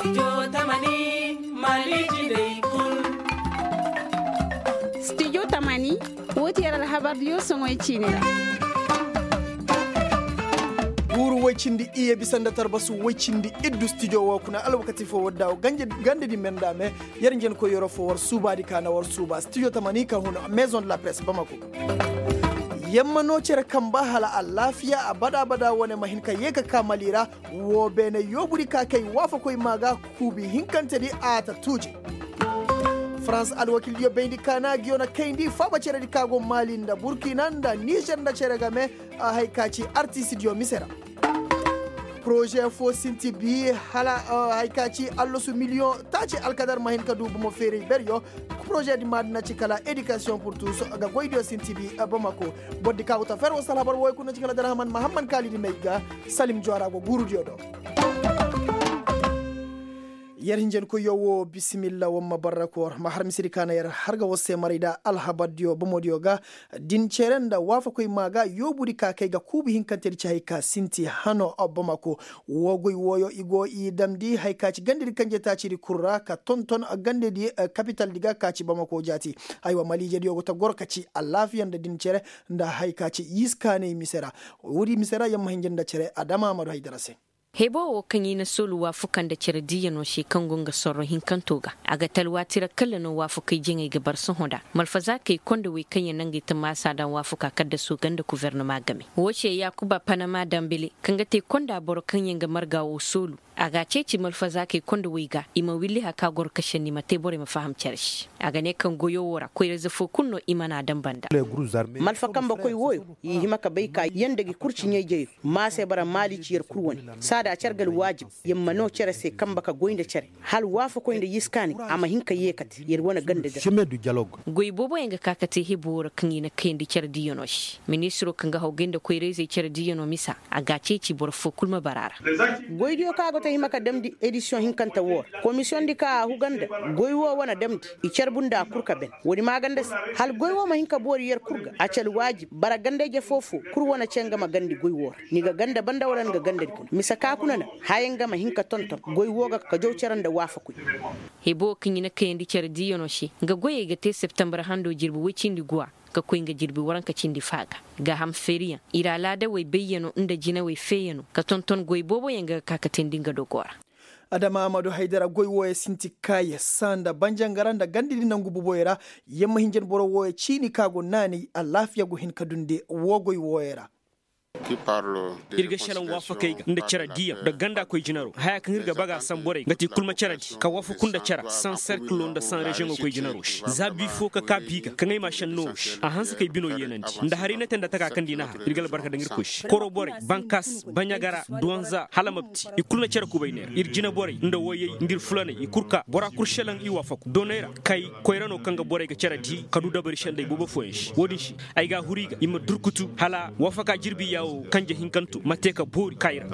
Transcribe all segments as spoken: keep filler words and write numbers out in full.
Studio tamani, wo ti yer alhabar diyo soŋoy ciini ra. Guuru woy cindi iyye bisa nda tarbasu woy cindi iddu studio wo kuna alwakati fo war daawo gande di me nda me. Yer njenkoy yeroo fo war suubaadi ka na war suuba studio tamani ka hun maison de la presse bamako. Yer ma noo cere kamba hala alaafiya abada abada wane ma hin ka yee ka kaa mali ra. Woo beene yoobudi ka kay waafakoy maa ga kuubi hinkantedi a ta tuuji. Farans alwakildiyo bayndi ka na a ga yoo na kayndi faaba ceredi ka go mali nda burkina nda nizer nda cere game. Hay ka ci artistdiyo mise ra. Poroze foo sinti bi hala hay ka ci allasu miliyoŋ taaci alkadar ma hin ka du bomo feeray beryo. Poroze di maadina ci kala edikasiyoŋ purtus ga goydiyo sinti bi. Bamako. Bordi ka go ta fer woo sala habar wooyo kuna ci kala darhaman mahamman kaalidi may ga. Salim juwara go guurudiyo do. Yer hinjankoyyo woo bisimilla war ma barra koor ma har misedi ka na yer har ga war se maray nda alhabardiyo bomodiyo ga. Din cere nda waafakoy maa ga yoobudi ka kay ga kuubu hinkantedi ci hay ka sinti hano bamako. Woo goy wooyo i go i damndi hay ka ci gandedi kanjetaacidi kul ra ka tonton gandedi kapitaldi ga ka ci bamako jaati. Aywa maliijediyo go ta goro ka ci alaafiya nda din cere nda hay ka ci yiskaanay mise ra. Woodi mise ra yer ma hinja nda cere adama amadu haydara se. Heboo woo kaŋ i na soolu waafuka nda cere diiyanoo se kaŋ go nga sorro hinkanto ga. A ga te alwaati ra kalla no waafukey jaŋey ga bar sohõ nda malfazaakey konda wey kaŋ yaŋ na ngey ta maasa daŋ waafuka kaddasoo ga nda gofornama game. Woo se yaakuba panama dambele kaŋ ga te konda boro kaŋ yaŋ ga marga woo soolu. A ga a ceeci malfazaakey konda wey ga i ma williha ka goro ka senni ma te borey ma faham cere se. A ga ne kaŋ goyo woo ra koyrayze foo kul no i mana a daŋ banda. Malfa kambekoy wooyo i hima ka bay ka yer nda gi kul ci ɲayjayoo. Maase bara maali ci yer kul wane. Saada a car ga alwaajib yer ma noo cere se kambe ka goy nda cere. Hala waafakoy nda yiskaanay a ma hin ka yeekate yer wane ganda di ra. Goy booboyaŋ ga ka ka te hiboo ra kaŋ i na kayandi cere diiyanoo se. Ministiroo kaŋ ga hawgay nda koyrayzey cere diiyanoo misa, a ga a ceeci boro foo kul ma bara a ra. Goydiyo kaŋ a go ta hima ka damndi edisiyoŋ hinkante woo ra komisiyoŋdi kaŋ a huga nda goy woo wane damndi. I carbu nda a kul ka ben. Woodi maaganda se hala goy woo ma hin ka boori yer kul ga a ci alwaajib bara ganda-ije foo-foo kul wane ce nga ma gandi goy woo ra. Ni ga ganda banda wala ni ga gandadi kuna mise ka kuna na haya nga ma hin ka tonton goy woo ga ka jaw cere nda waafakoy. Hiboo kaŋ i na kayandi cere diiyanoo se nga goyey ga te septembar handoo jirbi woy cindi guwa ka koy nga jirbi waranka cindi faa ga. Gaaham feeriyaŋ ir alaadawey bayyanoo nda jinawey feeyanoo ka tonton goy booboyaŋ ga ga ka ka teendi nga dogoo ra. Adama amadu haydara goy wooyo sinti kaaye saa nda banjangara nda gandadi nangu boboyo ra. Yer ma hinja nda boro wooyo ciini ka go naanay alaafiya go hin ka dundi woo goy wooyo ra. Ir ga šelaŋ waafakey ga nda cere diiyaŋ nda ganda koy jinaro haya kaŋ ir ga baga a san borey nga ti kul ma ceredi ka waafaku nda cere san serkilo nda san reziyoŋo koy jinaro se za bi fo ka ka bi ga kaŋ ay ma a šenno wo se a hanse kay bino yeenandi nda haray na te nda taka kaŋ di na har ir ga albarka daŋ irkoy se koro borey bankas baɲagara duwanza hala mabti i kul na cere kubay neera ir jina borey nda woyey nda ir fulaney i kul ka bora kul šelaŋ i waafaku doney ra kay koyra no kaŋ ga borey ga cere di ka du dabari šendey boobo fooyaŋ se wo-din se ay ga a huru i ga i ma durkutu hala waafaka jirbi yaawo kanje hinkanto ma te ka boori ka i ra.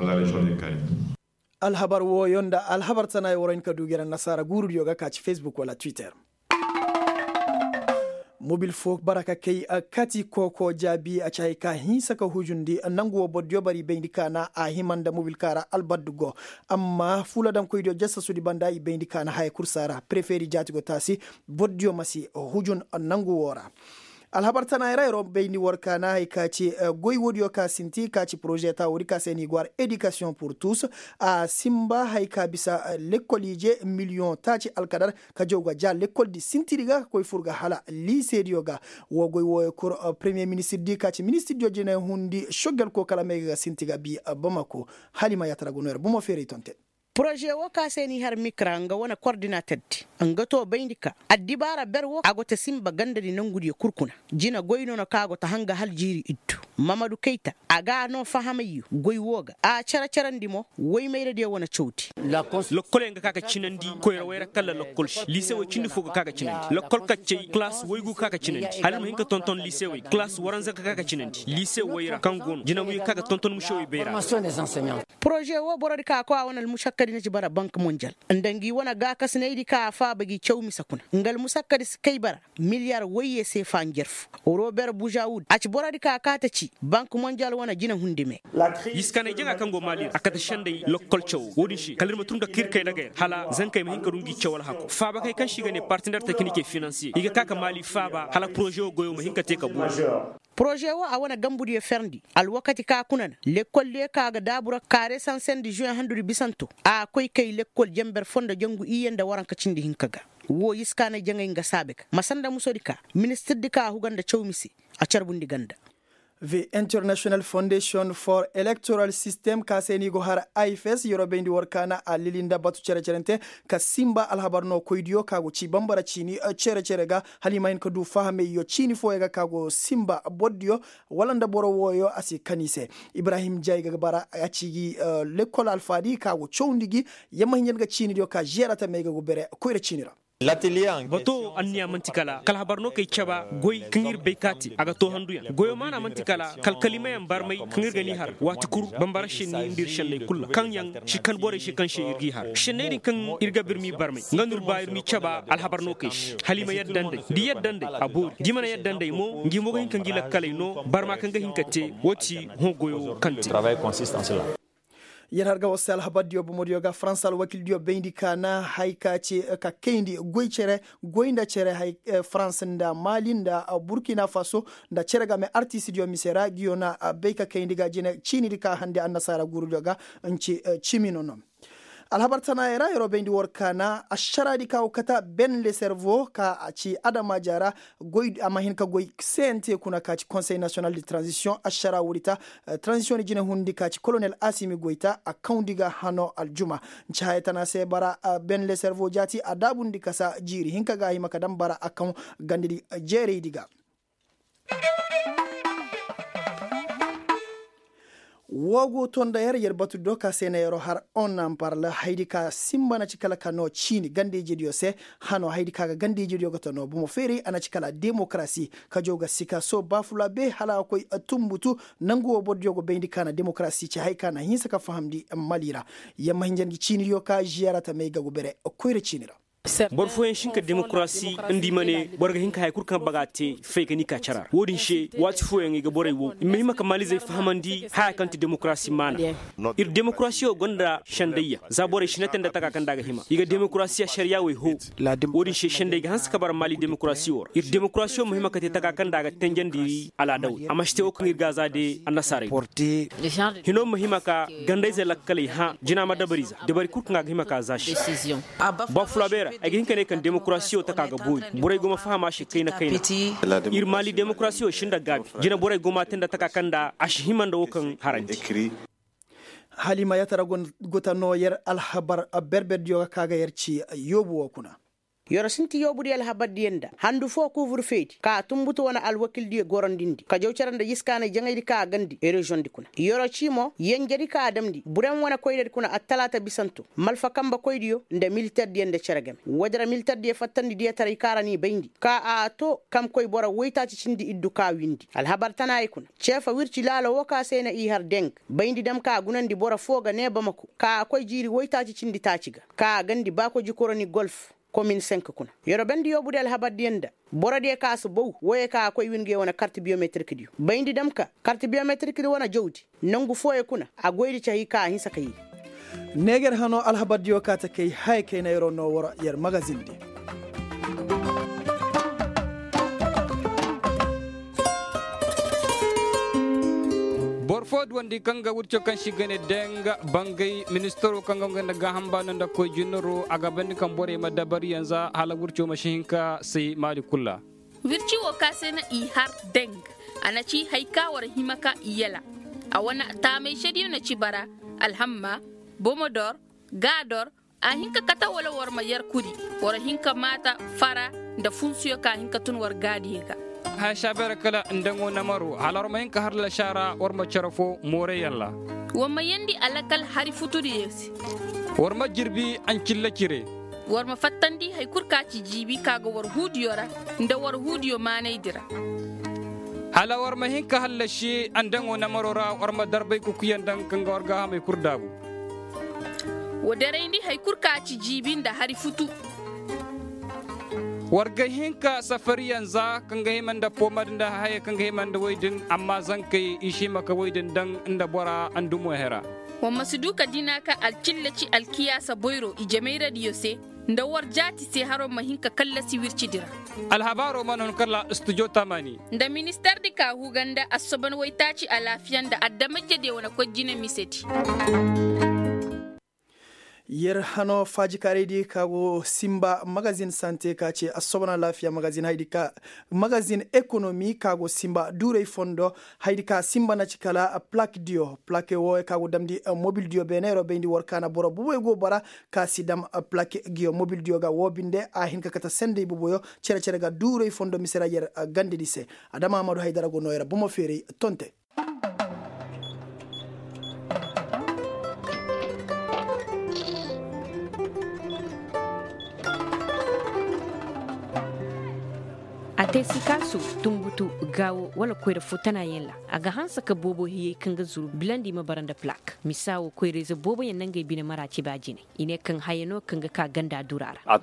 Alhabar wooyo nda alhabar tanaay war hin ka du ga ir annasaara guurudiyo ga ka ci facebook wala twitter. Mobil fo bara ka kay kati kooko jaabi a ci hay ka hinsa ka hujundi nangu woo bordiyo bara i bayndi ka na a hima nda mobil ka ra albaddu go. Amma fuula daŋkoydiyo jasasudi banda i bayndi ka na haya kul saara prefeeri jaati go taasi. Bordiyo ma si hujun nangu woo ra. Alhabar tana ra yeroo bayndi war ka na hay ka ci goy woodiyo ka sinti ka ci poroze ta woodi ka se ni go har edikasiyoŋ pur tus. A sinba hay ka bisa lekkol ije miliyoŋ taaci alkadar ka jaw ga ja lekkoldi sintiri ga ka koy fur ga hala liisediyo ga. Woo goy wooyo kul premiye ministirdi ka ci ministirdiyo jine hundi šoggel koo kala may ga ga sinti ga bi bamako. Hala i ma yaatara ga no yer bomo feeray tonte. Poroze woo ka se n'i har mikra nga wane kordinaterdi nga too bayndi ka addibaara ber woo a go ta sinba gandadi nongudiyo kul kuna. Jine goy no na ka go ta hanga hala jiiri iddu. Mamadu kayta a ga a noo fahamayyo goy woo ga a cere-cerandi mo. Woy mayradiyo wane cawdi. Lokkoley ga ka ka cinandi koyrawey ra kala lokkol se liisewey cindi fo ga ka ga cinandi lokkol kaccey kalaas woygu ga ka ga cinandi hala ir ma hin ka tonton liisewey kalaas waranza ga ka ga cinandi liise woy ra kaŋ go no jinawey ga ka ga tonton musewey bay ra. Poroze woo borodi ka koy a wane almusakkadi na ci bara bank monjal nda ngi wane gaakasinaydi ka a faaba gi caw mise kuna nga almusakkadi si kay bara miliyar woyye seefa njarfu. Rober buzawud a ci borodi ka kaa ta ci Bank monjal wane jina hundi me. Yiskaanay jaŋa kaŋ go maali ra a kate senday lokkol cawo wo- din se kala ir ma tun nda ka ir kay daga yer hala zankey ma hin ka du ngi caw alhako faabakey kaŋ se i ga ne partener tekinike finansiye i ga ka ka maali faaba hala poroze wo goyo ma hin ka te ka boori. Poroze wo a wane gambudiyo ferndi alwakati ka kuna na lekkol diyo ka ga daabu ra kaare sansendi zuwe handudi bisanto a koy kay lekkol jenber fo nda jangu iyye nda waranka cindi hinka ga. Wo yiskaanay jaŋay nga saabe ga ma sanda musodi ka ministirdi ka a huga nda cawmi se a carbundi ganda. The international foundation for electoral system ka se no i go har ifs yeroo bayndi war kaana a lili nda batu cere-cerente ka simba alhabar no koydiyo ka go ci bambara ciini cere-cere ga hala i ma hin ka du fahameyyo ciini fooyaŋ ga ka go simba bordiyo wala nda boro wooyo a si kan i se. Ibrahim jay ga bara a ci gi lekkol alfaadi ka go cawndi gi. Yamma hinja nga ciinidiyo ka žeera tamey ga go bere koyra ciini ra. Bato anniya man'ti kala kala habar no kay caba goy kaŋ ir bay ka te a ga too handuyaŋ goyo maana man'ti kala kala kalimayaŋ barmay kaŋ ir ga n'i har waati kul bambara šenni nda ir šenney kul ra kaŋ yaŋ si kan borey se kaŋ se ir g'i har šenney din kaŋ ir ga ba ir m'i barmay nga no ir ba ir m'i caba alhabar no kay se hala i ma yadda nd'ey da i yadda nd'ey a boori da i mana yadda nd'ey mo ngi mo ga hin ka ngi lakkaley no barma kaŋ ga hin ka te woo ti hõ goyo kaŋ te. Yer har ga war se alhabardiyo bomodiyo ga farans alwakildiyo bayndi ka na hay ka ce ka kayndi goy cere goy nda cere hay farans nda mali nda burkina faso nda cere game artistdiyo mise ra ngiyo na bay ka kayndi ga jine ciinidi ka hande annasaara guurudiyo ga nci cimi no no. Alhabar tanaayey ra yeroo bayndi war ka na ašaraadi ka go kata ben le servo ka a ci adamaaja ra a ma hin ka goy cnt kuna ka ci konsey nasiyonal de tranzisiyoŋ ašara woodi ta. Tranzisiyoŋ ni jine hundi ka ci kolonel asimi goy ta a kawndi ga hano aljuma. Nci haya tana se bara ben le servo jaati a daabundi kasa jiiri hinka ga a hima ka daŋ bara a kaŋ gandadi jeeraydi ga. Woo go to nda yer yer batu do ka se na yeroo har on na mbarla haydi ka simba na ci kala ka noo ciini ganda-ijediyo se. Hanoo haydi ka ga ganda-ijediyo ga ta noo bomo feeray a na ci kala demokarasi ka jaw ga sika soo baafula be hala a koy tumbutu. Nangu woo bordiyo go bayndi ka na demokarasi ci haya ka na hinsa ka fahamndi mali ra. Yer ma hinja ngi ciinidiyo ka ziyaara tamey ga go bere koyra ciini ra. Boro fooyaŋ si hin ka demokarasi nda i ma ne boro ga hin ka haya kul kaŋ baga te fay ka n'i ka cara ra woo din se waati fooyaŋ i ga borey wow i ma hima ka maalizey fahamandi haya kaŋ ti demokarasi maana. Ir demokarasiyo gonda sendayya za borey si na te nda taka kaŋ nda a ga hima i ga demokarasiya ašariya wey hoo. Woo din se sendey ga hanse ka bara maali demokarasiyo ra ir demokarasiyo ma hima ka te taka kaŋ nda a ga tenjandi alaadawey a ma si te woo kaŋ ir ga a za de annasaarey. Hinoo ma hima ka gandayze lakkaley hã jina ma dabari za dabari kul kaŋ a ga hima ka za se. Baafulaabeera ay ga hin ka ne kaŋ demokarasiyo taka ga boori borey go ma faham a se kayna kayna. Ir maali demokarasiyo si nda gaabi jina borey go m'a te nda taka kaŋ nda a si hima nda woo kaŋ harandi. Hala i ma yatara go ta noo yer alhabar berberdiyo ga ka ga yer ci yoobu woo kuna. Yer sinti yoobudiyo alhabardiyo nda handu foo kuuburfeedi ka tumbutu wane alwakildiyo gorondindi ka jaw cere nda yiskaanay jaŋaydi ka a gandi reziyoŋdi kuna. Yer cii mo yenjedi ka a damndi burem wane koyradi kuna attalaata bisanto malfa kambe koydiyo nda militerdiyo nda cere game woodi ra militerdiyo fattandi diyataray ka ra n'i bayndi ka a too kamkoy boro woytaaci cindi iddu ka windi alhabar tanaayey kuna. Ceefa wirci laalo woo ka se na i har deng bayndi dam ka gunandi boro foo ga nee bamako ka a koy jiiri woytaaci cindi taaci ga ka a gandi baakoji koroni golf. Komin senk kuna yer bendi yoobudiyo alhabardiyo nda borodiyo ka si bow wooyo ka a koy win nge wane kart biyometirikdiyo bayndi dam ka kart biyometirikdi wane jawdi. Nongu fooyo kuna a goydi cahi ka a hinsa ka yee. Neeger hanoo alhabardiyo ka ta kay haya kayna yeroo noo war yer magazindi. Boro foo duwandi kaŋ ga wirco kaŋ se i ga ne deng bangay ministaroo kaŋ ga nga nda gaaham baano nda koy jinaroo a ga bandi kaŋ borey ma dabariyaŋ za hala wirco ma si hin ka say maali kul ra. Wirci woo ka se na i har deng a na ci hari ka war hima ka i yala. A wane taamay sediyo na ci bara alhamma bomodor gaador. A hin ka kate wala war ma yer kuri war hin ka maata fara nda funsuyo ka hin ka tun war gaadiyo ga. Haya saabeera kala nda ŋo namaro hala war ma hin ka har lasaara war ma cere foo mooray yalla. War ma yeendi alakal hari futudiyo se. War ma jirbi ancilla cire. War ma fattandi hari kul ka ci jiibi ka ga war huudiyo ra nda war huudiyo maanaydi ra. Hala war ma hin ka hallasi andaŋo namaro ra war ma darbay kukuyaŋ daŋ kaŋ ga war gaahamey kul daabu. Wa derayndi hari kul ka ci jiibi nda hari futu. War ga hin ka safariyaŋ za kaŋ ga hima nda foomadi nda hayey kaŋ ga hima nda woy din amma zankey i si hima ka woy din daŋ nda bora ndumo hera. Wa ma si du ka dina ka alcilla ci alkiyaasa boyro i jamayradiyo se nda war jaati se haro ma hin ka kallasi wircidi ra. Alhabaaro mana hun kala studio tamani. Nda ministardi ka huga nda assoban waytaaci alaafiya nda addamayjediyo wane koy jine misedi. Yer hano faajikaaraydi ka go simba magazin sante ka ce assobon alaafiya magazin haydi ka magazin ekonomi ka go simba duuray fondo haydi ka simba na ci kala plakdiyo plake wooyo ka go damndi mobildiyo beeneero bayndi war ka na boro boboyo go bara ka si dam plakgiyo mobildiyo ga woo binde a hin ka kate sendey boboyo cere-cere ga duuray fondo mise ra yer gandedi se. Adama amadu haydara go nooyo ra bomo feeray tonte. A te sikaasu, tunbutu, gaawo wala koyra foo tanaayaŋ ra. A ga hanse ka boobo hiyey kaŋ ga zuru bilandi ma bara nda plak misa woo koyrayze booboyaŋ na ngey bine mara ci ba jine. I ne kaŋ haya no kaŋ ga ka ganda dura ra.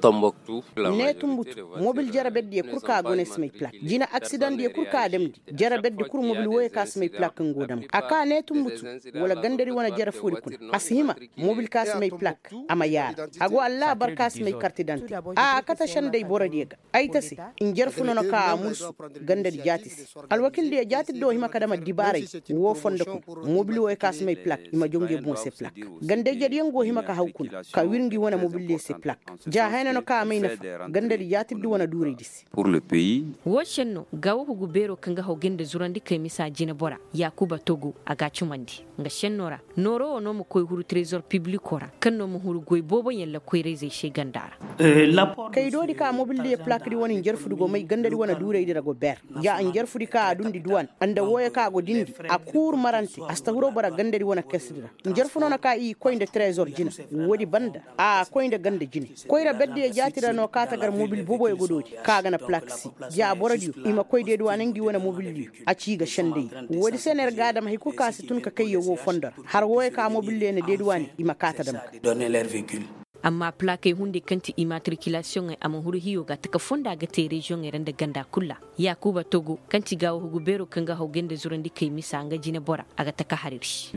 Ne tunbutu, mobil jere berdiyo kul kaŋ a go no ay si may plak jina aksidaŋdiyo kul kaŋ a damndi. Jere berdi kul mobil wooyo kaŋ a si may plak kaŋ go dam a ka ne tunbutu, wala gandari wane jere foodi kuna a si hima mobil kaŋ a si may plak a ma yaara. A go allaabar kaŋ a si may karti dante a kate sendey borodiyo ga. Ay ta se, njarfu no na ka a mursu gandadi jaati se. Alwakildiyo jaatidi do hima ka dam addibaaray woo fondo kuna. Mobil wooyo kaŋ a si may plak i ma jaw nge boŋ se plak. Gandayjediyaŋ go hima ka haw kuna ka wir ngi wane mobildiyo se plak. Ja haya no na ka a may nafa gandadi jaatidi wane duuraydi se. Woo šenno gaawo hugu beeroo kaŋ ga haw gay nda zurandikey misa jineboraa yaakuba togo a g'a cumandi. Nga šennoo ra nooroo woo no ma koy huru trezor piblikoo ra kaŋ no ma huru goy booboyaŋ ra koyrayzey se ganda ra. Kaydoodi ka mobildiyo plakdi wane njarfudi go may gandadi wane duuraydi ra go ber. Ja njarfudi ka a duundi duwan nda wooyo ka a go dindi a kuuru marante a si ta huroo bara gandadi wane kesdi ra. Njarfu no na ka i koy nda trezor jina. Woodi banda a koy nda ganda jine. Koyra berdiyo jaati ra no kaata gar mobil boboyo godoodi ka a ga na plak si. Ja borodiyo i ma koy deeduwaane ngi wane mobildiyo. A ci i ga sendey. Woodi se no yer ga a dam hari kul kaŋ a si tun ka kay yawwo fondo ra har wooyo ka mobildiyo na deeduwaane i ma kaata dam ga. Amma plakey hunday kaŋ ti imatrikilasiyoŋey a ma huru hiyo ga taka fonda ga te reziyoŋey ra nda ganda kul ra. Yaakuba togo kaŋ ti gaawo hugu beeroo kaŋ ga haw gay nda zurandikey misa nga jineboraa a ga taka har ir se.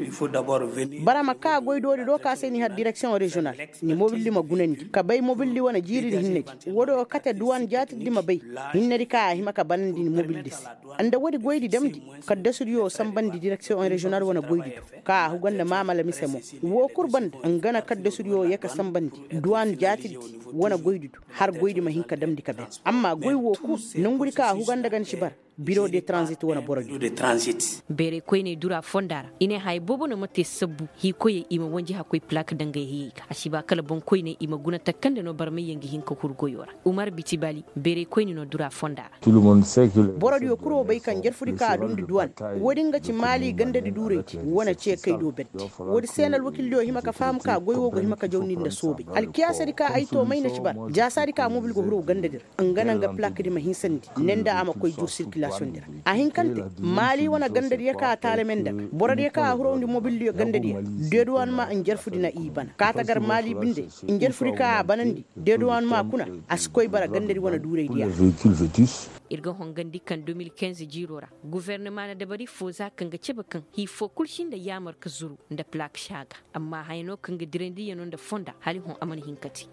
Bara ma ka goydoodi do ka se ni har direksiyoŋ reziyonal. Ni mobildi ma gunandi ka bay mobildi wane jiiridi hinnedi. Woodi wo kate duwan jaatidi ma bay hinnedi ka a hima ka banandi ni mobildi se. Nda woodi goydi damndi kaddasudiyo sanbandi direksiyoŋ reziyonal wane goydi do ka a huga nda maamala mise mo. Woo kul banda nga na kaddasudiyo yee ka sanbandi duwan jaatidi wane goydi do har goydi ma hin ka damndi ka ben. Amma goy woo kul nongudi ka a huga nda ga ni si bara. Biro de transit wane boro di. Beeray koyney dura fonda ra i ne haya boobo no ma te sabbu hiikoyey i ma wanji hakkoy plak dangay hiyey ga a si ba kala boŋkoyney i ma guna takande no barmayyaŋ ga hin ka huru goyo ra. Umar bitibali beeray koyne no dura fonda ra. Borodiyo kul wo bay kaŋ jarfudi kaŋ a dundi duwan. Woodin ga ci maali gandadi duuraydi wane ce kay do berdi. Woodi se no alwakildiyo hima ka faham ka goy wo go hima ka jawndi nda soobay alkiyaasadi kaŋ ay to may na ci bara jaasaadi kaŋ mobil go huru gandadi ra. Nga na nga plakdi ma hinsandi ne nda a ma koy jur sirkilasiyoŋdi ra. A hinkante maali wane gandadiyo kaŋ a taalame nda ga borodiyo kaŋ a hurawndi mobildiyo gandadiyo. Deeduwanma njarfudi na i bana kaata gar maali binde. Njarfudi kaŋ a banandi deeduwanma kuna a si koy bara gandadi wane duuraydiya. Ir ga hongandi kaŋ de mil kinze jiiroo ra gufernama na dabari foo za kaŋ ga cebe kaŋ hii foo kul si nda yaamar ka zuru nda plak si a ga. Amma haya no kaŋ ga dirandi yano nda fonda hala hõ a mana hin ka te.